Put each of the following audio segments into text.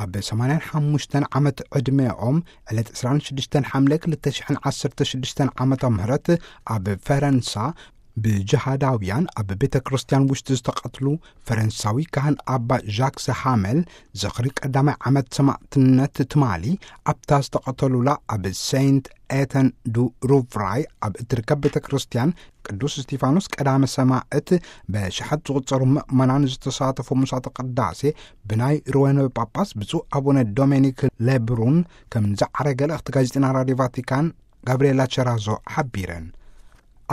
ኣብ ሰማንያን ሓሙሽተን ዓመት ዕድሜኦም ዕለት ዕስራን ሽዱሽተን ሓምለ ክልተ ሽሕን ዓሰርተ ሽዱሽተን ዓመተ ምህረት ኣብ ፈረንሳ ብጅሃዳውያን ኣብ ቤተ ክርስቲያን ውሽጢ ዝተቐትሉ ፈረንሳዊ ካህን ኣባ ዣክስ ሃመል ዝኽሪ ቀዳማይ ዓመት ሰማዕትነት ትማሊ ኣብታ ዝተቐተሉላ ኣብ ሴንት ኤተን ዱ ሩቭራይ ኣብ እትርከብ ቤተ ክርስቲያን ቅዱስ እስጢፋኖስ ቀዳመ ሰማዕት በሽሓት ዝቑጸሩ ምእመናን ዝተሳተፉ ምሳተ ቅዳሴ ብናይ ሮወን ጳጳስ ብፁዕ ኣቡነ ዶሜኒክ ሌብሩን ከም ዝዓረገ ልእኽቲ ጋዜጠና ራድዮ ቫቲካን ጋብርኤላ ቸራዞ ሓቢረን።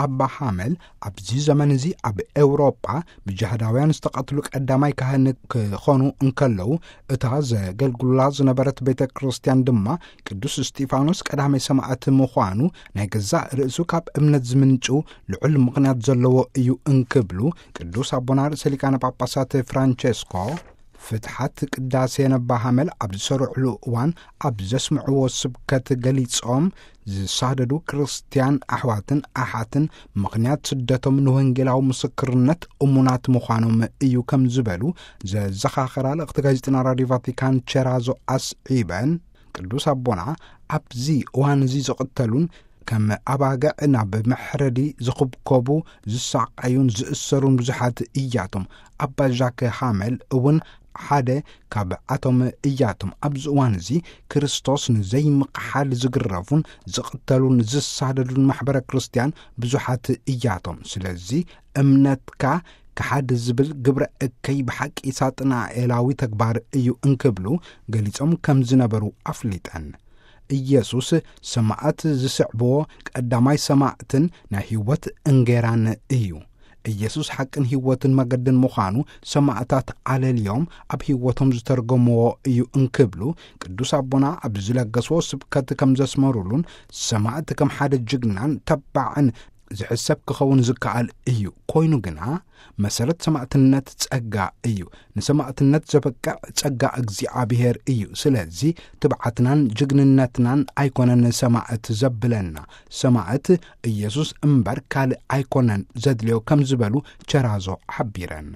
ኣባ ሓመል ኣብዚ ዘመን እዚ ኣብ ኤውሮጳ ብጅሃዳውያን ዝተቐትሉ ቀዳማይ ካህን ክኾኑ እንከለዉ፣ እታ ዘገልግሉላ ዝነበረት ቤተ ክርስቲያን ድማ ቅዱስ እስጢፋኖስ ቀዳማይ ሰማዕት ምዃኑ ናይ ገዛእ ርእሱ ካብ እምነት ዝምንጩ ልዑል ምኽንያት ዘለዎ እዩ እንክብሉ ቅዱስ ኣቦና ርእሰ ሊቃነ ጳጳሳት ፍራንቸስኮ ፍትሓት ቅዳሴ ነባ ሓመል ኣብ ዝሰርዕሉ እዋን ኣብ ዘስምዕዎ ስብከት ገሊጾም፣ ዝሳደዱ ክርስትያን ኣሕዋትን ኣሓትን ምኽንያት ስደቶም ንወንጌላዊ ምስክርነት እሙናት ምዃኖም እዩ ከም ዝበሉ ዘዘኻኸራ ልእኽቲ ጋዜጠና ራድዮ ቫቲካን ቸራዞ ኣስዒበን፣ ቅዱስ ኣቦና ኣብዚ እዋን እዚ ዝቕተሉን ከም ኣባግዕ ናብ መሕረዲ ዝኽብከቡ፣ ዝሳቐዩን ዝእሰሩን ብዙሓት እያቶም። ኣባ ዣክ ሃመል እውን ሓደ ካብኣቶም እያቶም። ኣብዚ እዋን እዚ ክርስቶስ ንዘይምቕሓል ዝግረፉን ዝቕተሉን ዝሳደዱን ማሕበረ ክርስቲያን ብዙሓት እያቶም። ስለዚ እምነትካ ክሓድ ዝብል ግብረ እከይ ብሓቂ ሳጥናኤላዊ ተግባር እዩ እንክብሉ ገሊጾም ከም ዝነበሩ ኣፍሊጠን። ኢየሱስ ሰማዕት ዝስዕብዎ ቀዳማይ ሰማዕትን ናይ ህይወት እንጌራን እዩ። ኢየሱስ ሓቅን ህይወትን መገድን ምዃኑ ሰማዕታት ኣለልዮም ኣብ ህይወቶም ዝተርጎምዎ እዩ እንክብሉ ቅዱስ ኣቦና ኣብ ዝለገስዎ ስብከት ከም ዘስመሩሉን ሰማዕት ከም ሓደ ጅግናን ተባዕን ዝሕሰብ ክኸውን ዝከኣል እዩ። ኮይኑ ግና መሰረት ሰማዕትነት ጸጋ እዩ። ንሰማዕትነት ዘበቅዕ ጸጋ እግዚኣብሔር እዩ። ስለዚ ትብዓትናን ጅግንነትናን ኣይኮነን ሰማዕት ዘብለና። ሰማዕት ኢየሱስ እምበር ካልእ ኣይኮነን ዘድልዮ ከም ዝበሉ ቸራዞ ሓቢረን።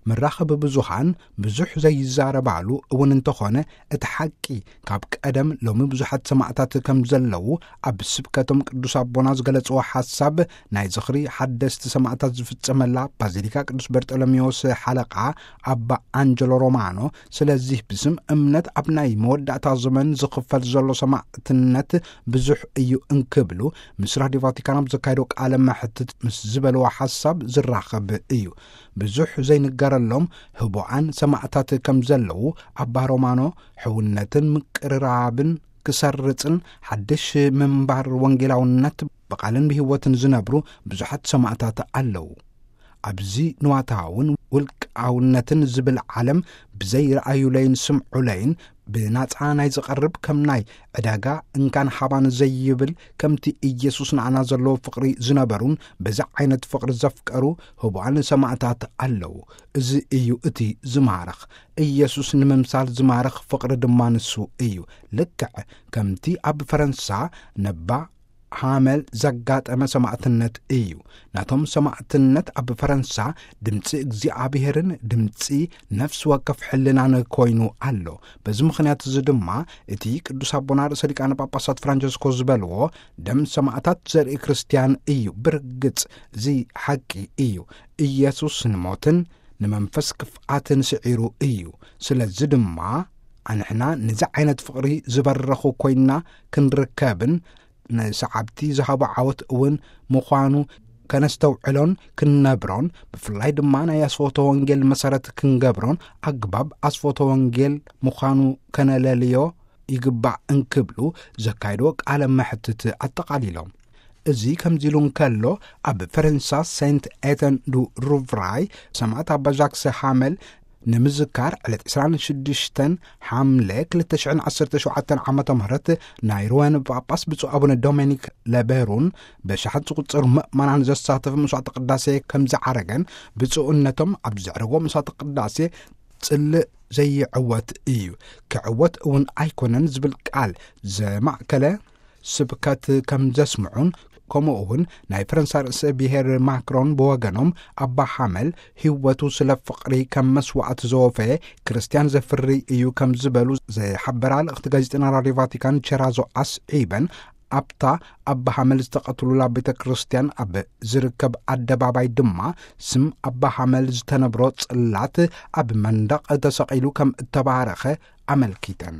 መራኸቢ ብዙሃን ብዙሕ ዘይዛረባሉ እውን እንተኾነ፣ እቲ ሓቂ ካብ ቀደም ሎሚ ብዙሓት ሰማዕታት ከም ዘለዉ ኣብ ስብከቶም ቅዱስ ኣቦና ዝገለጽዎ ሓሳብ ናይ ዝኽሪ ሓደስቲ ሰማዕታት ዝፍጸመላ ባዚሊካ ቅዱስ በርጠሎሜዎስ ሓለቓ ኣባ ኣንጀሎ ሮማኖ፣ ስለዚህ ብስም እምነት ኣብ ናይ መወዳእታ ዘመን ዝኽፈል ዘሎ ሰማዕትነት ብዙሕ እዩ እንክብሉ ምስ ራድዮ ቫቲካን ኣብ ዘካየዶ ቃለ መሕትት ምስ ዝበልዎ ሓሳብ ዝራኸብ እዩ። ብዙሕ ዘይንገረሎም ህቡኣን ሰማዕታት ከም ዘለዉ ኣባ ሮማኖ፣ ሕውነትን ምቅርራብን ክሰርጽን ሓድሽ ምንባር ወንጌላውነት ብቓልን ብህይወትን ዝነብሩ ብዙሓት ሰማዕታት ኣለዉ። ኣብዚ ንዋታውን ውልቃውነትን ዝብል ዓለም ብዘይረኣዩለይን ስምዑለይን ብናጻ ናይ ዝቐርብ ከም ናይ ዕዳጋ እንካን ሃባን ዘይብል ከምቲ ኢየሱስ ንኣና ዘለዎ ፍቕሪ ዝነበሩን በዚ ዓይነት ፍቕሪ ዘፍቀሩ ህቡኣን ሰማዕታት ኣለዉ። እዚ እዩ እቲ ዝማርኽ። ኢየሱስ ንምምሳል ዝማርኽ ፍቕሪ ድማ ንሱ እዩ። ልክዕ ከምቲ ኣብ ፈረንሳ ነባ ሃመል ዘጋጠመ ሰማዕትነት እዩ። ናቶም ሰማዕትነት ኣብ ፈረንሳ ድምፂ እግዚኣብሔርን ድምፂ ነፍሲ ወከፍ ሕልናን ኮይኑ ኣሎ። በዚ ምኽንያት እዚ ድማ እቲ ቅዱስ ኣቦና ርእሰ ሊቃነ ጳጳሳት ፍራንቸስኮ ዝበልዎ ደም ሰማዕታት ዘርኢ ክርስትያን እዩ። ብርግጽ እዚ ሓቂ እዩ። ኢየሱስ ንሞትን ንመንፈስ ክፍኣትን ስዒሩ እዩ። ስለዚ ድማ ኣንሕና ነዚ ዓይነት ፍቕሪ ዝበረኹ ኮይንና ክንርከብን ንሰዓብቲ ዝሃቦ ዓወት እውን ምዃኑ ከነስተውዕሎን ክንነብሮን፣ ብፍላይ ድማ ናይ ኣስፎቶ ወንጌል መሰረት ክንገብሮን ኣግባብ ኣስፎቶ ወንጌል ምዃኑ ከነለልዮ ይግባእ እንክብሉ ዘካየድዎ ቃለ መሕትት ኣጠቓሊሎም። እዚ ከምዚ ኢሉ እንከሎ፣ ኣብ ፈረንሳ ሴንት ኤተን ዱ ሩቭራይ ሰማዕት ኣባ ጃክስ ሃመል ንምዝካር ዕለት ዕስራን ሽዱሽተን ሓምለ ክልተ ሽሕን ዓሰርተ ሸውዓተን ዓመተ ምህረት ናይ ሮወን ጳጳስ ብፁዕ ኣቡነ ዶሜኒክ ለቤሩን በሽሓት ዝቑጸሩ ምእመናን ዘሳተፈ መስዋዕተ ቅዳሴ ከም ዝዓረገን ብፁዕነቶም ኣብ ዘዕረጎ መስዋዕተ ቅዳሴ ጽልእ ዘይዕወት እዩ፣ ክዕወት እውን ኣይኮነን ዝብል ቃል ዘማእከለ ስብከት ከም ዘስምዑን፣ ከምኡ እውን ናይ ፈረንሳ ርእሰ ብሔር ማክሮን ብወገኖም፣ ኣባ ሓመል ህይወቱ ስለ ፍቕሪ ከም መስዋዕት ዘወፈየ ክርስትያን ዘፍሪ እዩ ከም ዝበሉ ዝሓበራ ልእኽቲ ጋዜጠና ራድዮ ቫቲካን ቸራዞ ኣስዒበን፣ ኣብታ ኣባ ሓመል ዝተቐትሉላ ቤተ ክርስትያን ኣብ ዝርከብ ኣደባባይ ድማ ስም ኣባ ሓመል ዝተነብሮ ጽላት ኣብ መንደቕ ተሰቒሉ ከም እተባረኸ ኣመልኪተን።